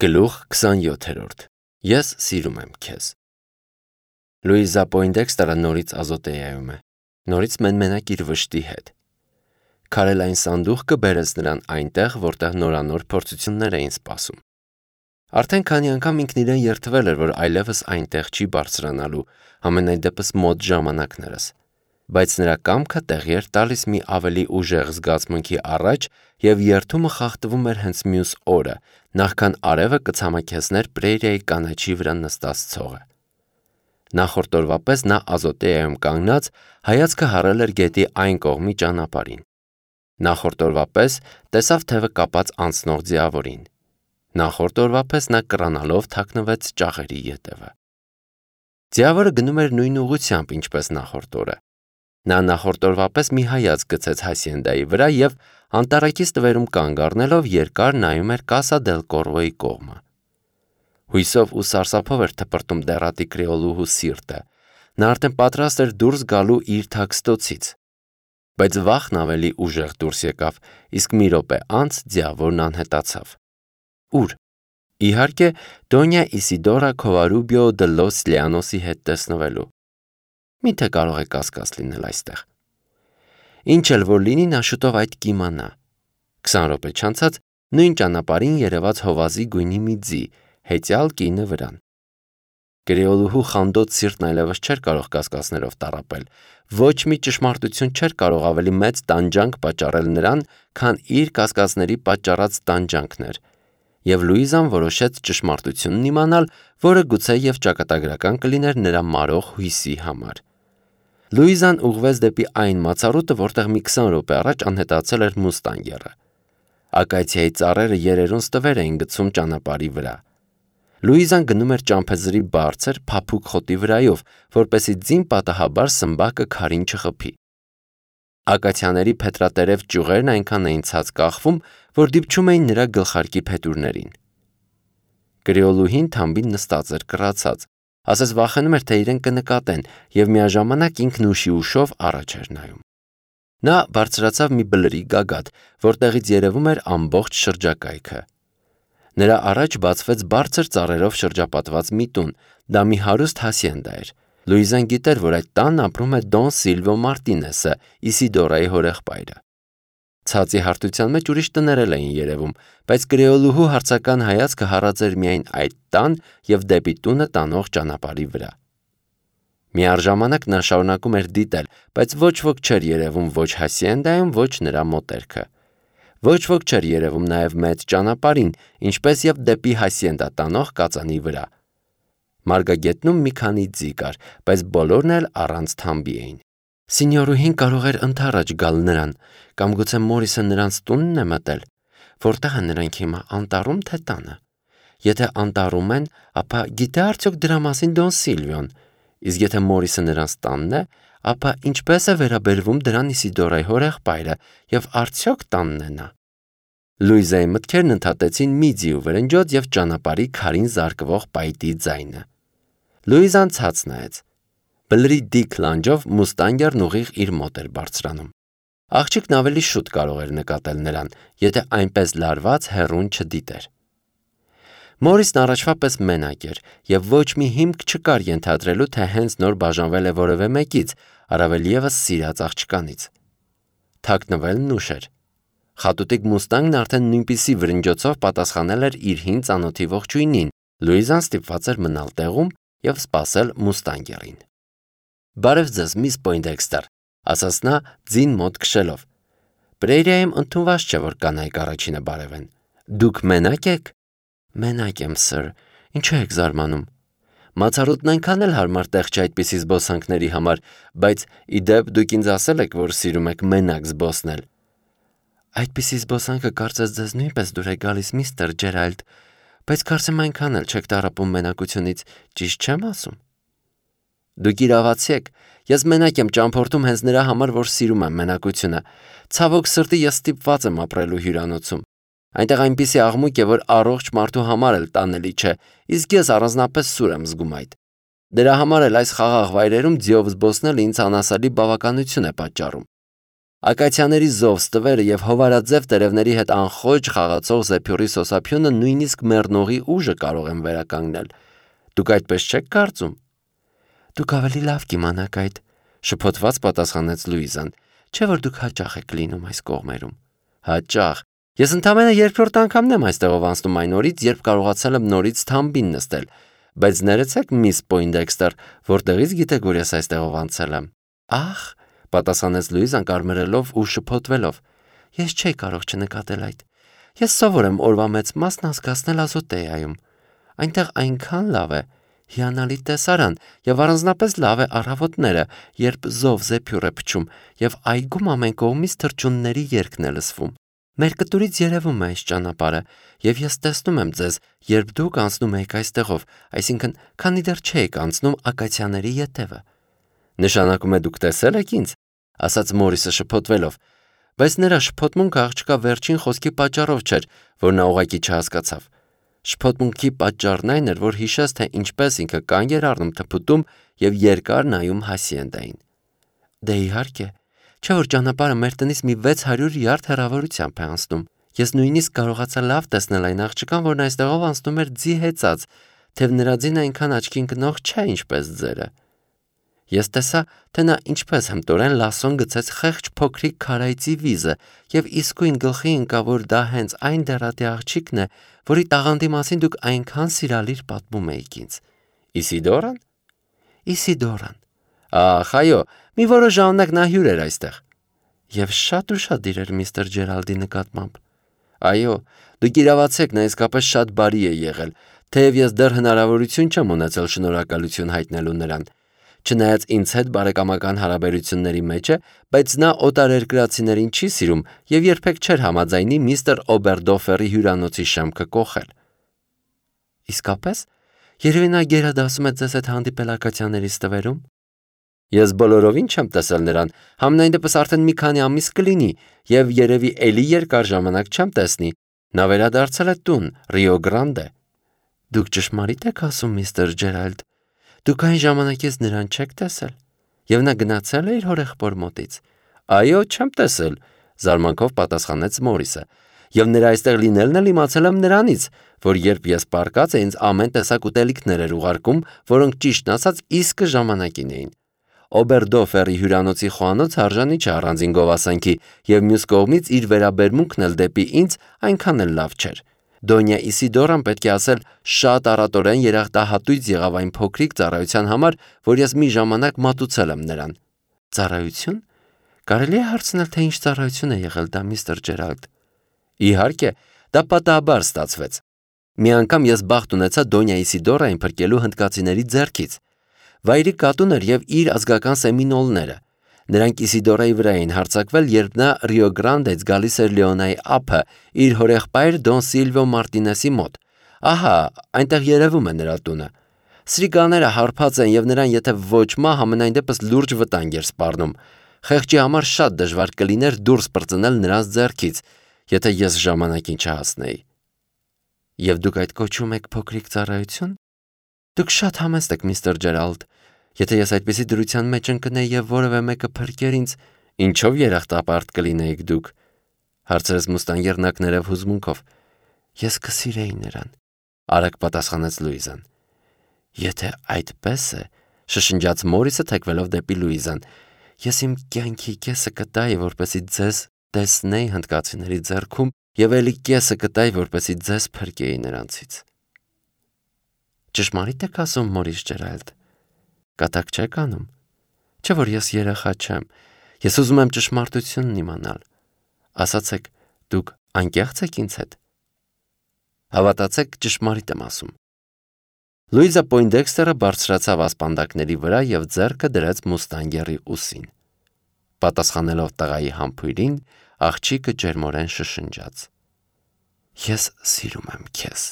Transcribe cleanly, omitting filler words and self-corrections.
Գլուխ 27 Ես սիրում եմ քեզ։ Լուիզա Պոինդեքստերը նորից Ազոտեայում է, նորից մենմենակ իր վշտի հետ։ Քարելային սանդուղքը բերեց նրան այնտեղ, որտեղ նորանոր փորձություններ էին սպասում։ Արդեն քանի անգամ ինքն իրեն երդվել էր, որ այլևս այնտեղ չի բարձրանալու, համենայն դեպս մոտ ժամանակներս։ Բայց նրա կամքը տեղի էր տալիս մի ավելի ուժեղ զգացմունքի առաջ և երդումը խախտվում էր հենց մյուս օրը, նախքան արևը կցամաքեցներ Պրեիրիայի կանաչի վրա նստած ցողը։ Նախորդ օրվա պես նա Ազոտեայում կանգնած հայացքը հառել էր գետի այն կողմի ճանապարհին։ Նախորդ օրվա պես տեսավ թևը կապած անցնող ձիավորին։ Նախորդ օրվա պես նա կռանալով թաքնվեց ճաղերի ետևը։ Ձիավորը գնում էր նույն ուղղությամբ, ինչպես նախորդ օրը։ Նա նախորդ օրվա պես մի հայացք գցեց Հասիենդայի վրա և անտառակից տվերում կանգ առնելով երկար նայում էր Կասա դել Կորվոյի կողմը։ Հույսով ու սարսափով էր թպրտում դեռատի կրեոլուհու սիրտը։ Նա արդեն պատրաստ էր դուրս գալու իր թաքստոցից։ Բայց վախն ավելի ուժեղ դուրս եկավ, իսկ մի րոպե անց ձիավորն անհետացավ։ Ուր։ Իհարկե, Դոնյա Իսիդորա Քովարուբիո դե լոս Լիանոսի հետ տեսնվելու։ Միթե կարող է կասկած լինել այստեղ։ Ինչ էլ որ լինի, նա շուտով այդ կիմանա։ 20 րոպե չանցած նույն ճանապարհին երևաց հովազի գույնի մի ձի, հեծյալ կինը վրան։ Կրեոլուհու խանդոտ սիրտն այլևս չէր կարող կասկածներով տառապել։ Ոչ մի ճշմարտություն չէր կարող ավելի մեծ տանջանք պատճառել նրան, քան իր կասկածների պատճառած տանջանքն էր։ Եվ Լուիզան որոշեց ճշմարտությունն իմանալ, որը գուցե և ճակատագրական կլիներ նրա մարող հույսի համար։ Լուիզան ուղղվեց դեպի այն մացառուտը, որտեղ մի 20 րոպե առաջ անհետացել էր մուստանգերը։ Ակացիայի ծառերը երերուն ստվեր էին գցում ճանապարհի վրա։ Լուիզան գնում էր ճամփեզրի բարձր, փափուկ խոտի վրայով, որպեսզի ձին պատահաբար սմբակը քարին չխփի։ Ակացիաների փետրատերև ճյուղերն այնքան էին ցած կախվում, որ դիպչում էին նրա գլխարկի փետուրներին։ Կրեոլուհին թամբին նստած էր կռացած, ասես վախենում էր, թե իրեն կնկատեն, և միաժամանակ ինքն ուշով առաջ էր նայում։ Նա բարձրացավ մի բլրի գագաթ, որտեղից երևում էր ամբողջ շրջակայքը։ Նրա առաջ բացվեց բարձր ծառերով շրջապատված մի տուն, դա մի հարուստ հասիենդա էր։ Լուիզան գիտեր, որ այդ տանն ապրում է Դոն Սիլվիո Մարտինեսը, Իսիդորայի հորեղբայրը։ Ցածի հարթության մեջ ուրիշ տներ էլ էին երևում, բայց կրեոլուհու հարցական հայացքը հառած էր միայն այդ տան և դեպի տունը տանող ճանապարհի վրա։ Միառժամանակ նա շարունակում էր դիտել, բայց ոչ ոք չէր երևում ոչ հասիենդայում, ոչ նրա մոտերքը։ Ոչ ոք չէր երևում նաև մեծ ճանապարհին, ինչպես և դեպի հասիենդա տանող կածանի վրա։ Մարգագետնում մի քանի ձի կար, բայց բոլորն էլ առանց թամբի էին։ Սինյորուհին կարող էր ընդառաջ գալ նրան, կամ գուցե Մորիսը նրանց տունն է մտել։ Որտեղ են նրանք հիմա, անտառում թե տանը։ Եթե անտառում են, ապա գիտե արդյոք դրա մասին Դոն Սիլվիոն։ Իսկ եթե Մորիսը նրանց տանն է, ապա ինչպես է վերաբերվում դրան Իսիդորայի հորեղբայրը և արդյոք տանն է նա։ Լուիզայի մտքերն ընդհատեցին մի ձի ու վրնջոց և ճանապարհի քարին զարկվող պայտի ձայնը։ Լուիզան ցած նայեց։ Բլրի դիք լանջով մուստանգերն ուղիղ իր մոտ էր բարձրանում։ Աղջիկն ավելի շուտ կարող էր նկատել նրան, եթե այնպես լարված հեռուն չդիտեր։ Մորիսն առաջվա պես մենակ էր, և ոչ մի հիմք չկար ենթադրելու, թե հենց նոր բաժանվել է որևէ մեկից, առավել ևս սիրած աղջկանից։ Թաքնվելն ուշ էր։ Խատուտիկ մուստանգն արդեն նույնպիսի վրնջոցով պատասխանել էր իր հին ծանոթի ողջույնին։ Լուիզան ստիպված էր մնալ տեղում և սպասել մուստանգերին։ Բարև ձեզ, միս Պոինդեքստեր, ասաց նա ձին մոտ քշելով։ Պրեիրիայում ընդունված չէ, որ կանայք առաջինը բարևեն։ Դուք մենակ եք։ Մենակ եմ, սըր, ինչու եք զարմանում։ Մացառուտն այնքան էլ հարմար տեղ չէ այդպիսի զբոսանքների համար, բայց ի դեպ դուք ինձ ասել եք, որ սիրում եք մենակ զբոսնել։ Այդպիսի զբոսանքը կարծես ձեզ նույնպես դուր է գալիս, միստր Ջերալդ, բայց կարծեմ այնքան էլ չեք տառապում մենակությունից, ճիշտ չեմ ասում։ Դուք իրավացի եք, ես մենակ եմ ճամփորդում հենց նրա համար, որ սիրում եմ մենակությունը։ Ցավոք սրտի ես ստիպված եմ ապրելու հյուրանոցում։ Այնտեղ այնպիսի աղմուկ է, որ առողջ մարդու համար էլ տանելի չէ, իսկ ես առանձնապես սուր եմ զգում այդ։ Դրա համար էլ այս խաղաղ վայրերում ձիով զբոսնելը ինձ անասելի բավականություն է պատճառում։ Ակացիաների զով ստվերը եւ հովարաձև տերևների հետ անխոճ խաղացող զեփյուռի սոսափյունը նույնիսկ մեռնողի ուժը կարող են վերականգնել։ Դուք այդպես չեք կարծում։ Դուք ավելի լավ կիմանաք այդ, շփոթված պատասխանեց Լուիզան, չէ՞ որ դուք հաճախ եք լինում այս կողմերում։ Հաճախ։ Ես ընդամենը երկրորդ անգամն եմ այստեղով անցնում այն օրից, երբ կարողացել եմ նորից թամբին նստել, բայց ներեցեք, միս Պոյնդեքստեր, որտեղից գիտեք, որ ես այստեղով անցել եմ։ Ախ, պատասխանեց Լուիզան կարմրելով ու շփոթվելով։ Ես չէի կարող չնկատել այդ։ Ես սովոր եմ օրվա մեծ մասն անցկացնել Ազոտեայում։ Այնտեղ այնքան լավ է, հիանալի տեսարան եւ առանձնապես լավ է առավոտները, երբ զով զեփյուռ է փչում եւ այգում ամեն կողմից թռչունների երգն է լսվում։ Մեր կտուրից երևում է այս ճանապարհը եւ ես տեսնում եմ ձեզ, երբ դուք անցնում եք այստեղով, այսինքն քանի դեռ չեք անցնում ակացիաների ետևը։ Նշանակում է դուք տեսել եք ինձ, ասաց Մորիսը շփոթվելով, բայց նրա շփոթմունքը աղջկա վերջին խոսքի պատճառով չէր, որ նա ուղղակի չհասկացավ։ Շփոթմունքի պատճառն այն էր, որ հիշեց, թե ինչպես ինքը կանգ էր առնում թփուտում եւ երկար նայում Հասիենդային։ Դե իհարկե, չէ՞ որ ճանապարհը մեր տնից մի 600 յարդ հեռավորությամբ է անցնում։ Ես նույնիսկ կարողացա լավ տեսնել այն աղջկան, որն այստեղով անցնում էր ձի հեծած, թեև նրա ձին այնքան աչքի ընկնող չէ, ինչպես ձերը։ Ես տեսա, թե նա ինչպես հմտորեն լասոն գցեց խեղճ փոքրիկ քարայծի վիզը եւ իսկույն գլխի ընկավ, որ դա հենց այն դեռատի աղջիկն է, որի տաղանդի մասին դուք այնքան սիրալիր պատմում էիք ինձ։ Իսիդորան։ Իսիդորան։ Ախ, այո, մի որոշ ժամանակ նա հյուր էր այստեղ։ Եվ շատ ուշադիր էր միստր Ջերալդի նկատմամբ։ Այո, դուք իրավացեք, նա իսկապես շատ բարի է եղել, թեև ես դեռ հնարավորություն չեմ ունեցել շնորհակալություն հայտնելու նրան։ Չնայած ինձ հետ բարեկամական հարաբերությունների մեջ է, բայց նա օտարերկրացիներին չի սիրում եւ երբեք չէր համաձայնի միստր Օբերդոֆերի հյուրանոցի շեմքը կոխել։ Իսկապես, երևի նա գերադասում է ձեզ հետ հանդիպել ակացիաների ստվերում։ Ես բոլորովին չեմ տեսել նրան, համենայն դեպս արդեն մի քանի ամիս կլինի եւ երևի էլի երկար ժամանակ չեմ տեսնի։ Նա վերադարձել է տուն, Ռիո Գրանդե։ Դուք ճշմարիտ եք ասում, միստր Ջերալդ։ Դուք այն ժամանակից նրան չեք տեսել, եւ նա գնացել է իր հորեղբոր մոտից։ Այո, չեմ տեսել, զարմանքով պատասխանեց Մորիսը, եւ նրա այստեղ լինելն էլ իմացել եմ նրանից, որ երբ ես պարկած ինձ ամեն տեսակ ուտելիքներ էր ուղարկում, որոնք ճիշտն ասած իսկը ժամանակին էին։ Օբերդոֆերի հյուրանոցի խոհանոց արժանի չէ առանձին գովասանքի, եւ մյուս կողմից իր վերաբերմունքն էլ դեպի ինձ այնքան էլ լավ չէր։ Դոնյա Իսիդորան պետք է ասել շատ առատորեն երախտահատույց եղավ այն փոքրիկ ծառայության համար, որ ես մի ժամանակ մատուցել եմ նրան։ Ծառայություն։ Կարելի է հարցնել, թե ինչ ծառայություն է եղել դա, միստր Ջերալդ։ Իհարկե, դա պատահաբար ստացվեց։ Մի անգամ ես բախտ ունեցա Դոնյա Իսիդորային փրկելու հնդկացիների ձեռքից։ Վայրի կատուն էր եւ իր ազգական սեմինոլները։ Նրանք Իսիդորայի վրա էին հարձակվել, երբ նա Ռիո Գրանդեից գալիս էր Լեոնայի ափը իր հորեղբայր Դոն Սիլվիո Մարտինեսի մոտ։ Ահա, այնտեղ երևում է նրա տունը։ Սրիկաները հարբած են եւ նրան եթե ոչ մահ, ամենայն դեպս լուրջ վտանգ էր սպառնում։ Խեղճի համար շատ դժվար կլիներ դուրս պրծնել նրանց ձեռքից, եթե ես ժամանակին չհասնեի։ Եվ դուք այդ կոչում եք փոքրիկ ծառայություն։ Դուք շատ համեստ եք, միստր Ջերալդ։ Եթե ես այդպիսի դրության մեջ ընկնեի եւ որևէ մեկը փրկեր ինձ, ինչով երախտապարտ կլինեիք դուք, հարցրեց մուստանգերնակներով հուզմունքով։ Ես կսիրեի նրան, արագ պատասխանեց Լուիզան։ Եթե այդպես է, շշնջաց Մորիսը թեքվելով դեպի Լուիզան, ես իմ կյանքի կեսը կտայի, որպեսզի ձեզ տեսնեի հնդկացիների ձեռքում եւ ելի կեսը կտայի, որպեսզի ձեզ փրկեի նրանցից։ Ճշմարիտ եք ասում, Մորիս Ջերալդ։ Կատակ չեք անում։ Չէ՞ որ ես երեխա չեմ։ Ես ուզում եմ ճշմարտությունն իմանալ։ Ասացեք, դուք անկեղծ եք ինձ հետ։ Հավատացեք, ճշմարիտ եմ ասում։ Լուիզա Պոյնդեքստերը բարձրացավ ասպանդակների վրա եւ ձեռքը դրեց մուստանգերի ուսին։ Պատասխանելով տղայի համբույրին, աղջիկը ջերմորեն շշնջաց. Ես սիրում եմ քեզ։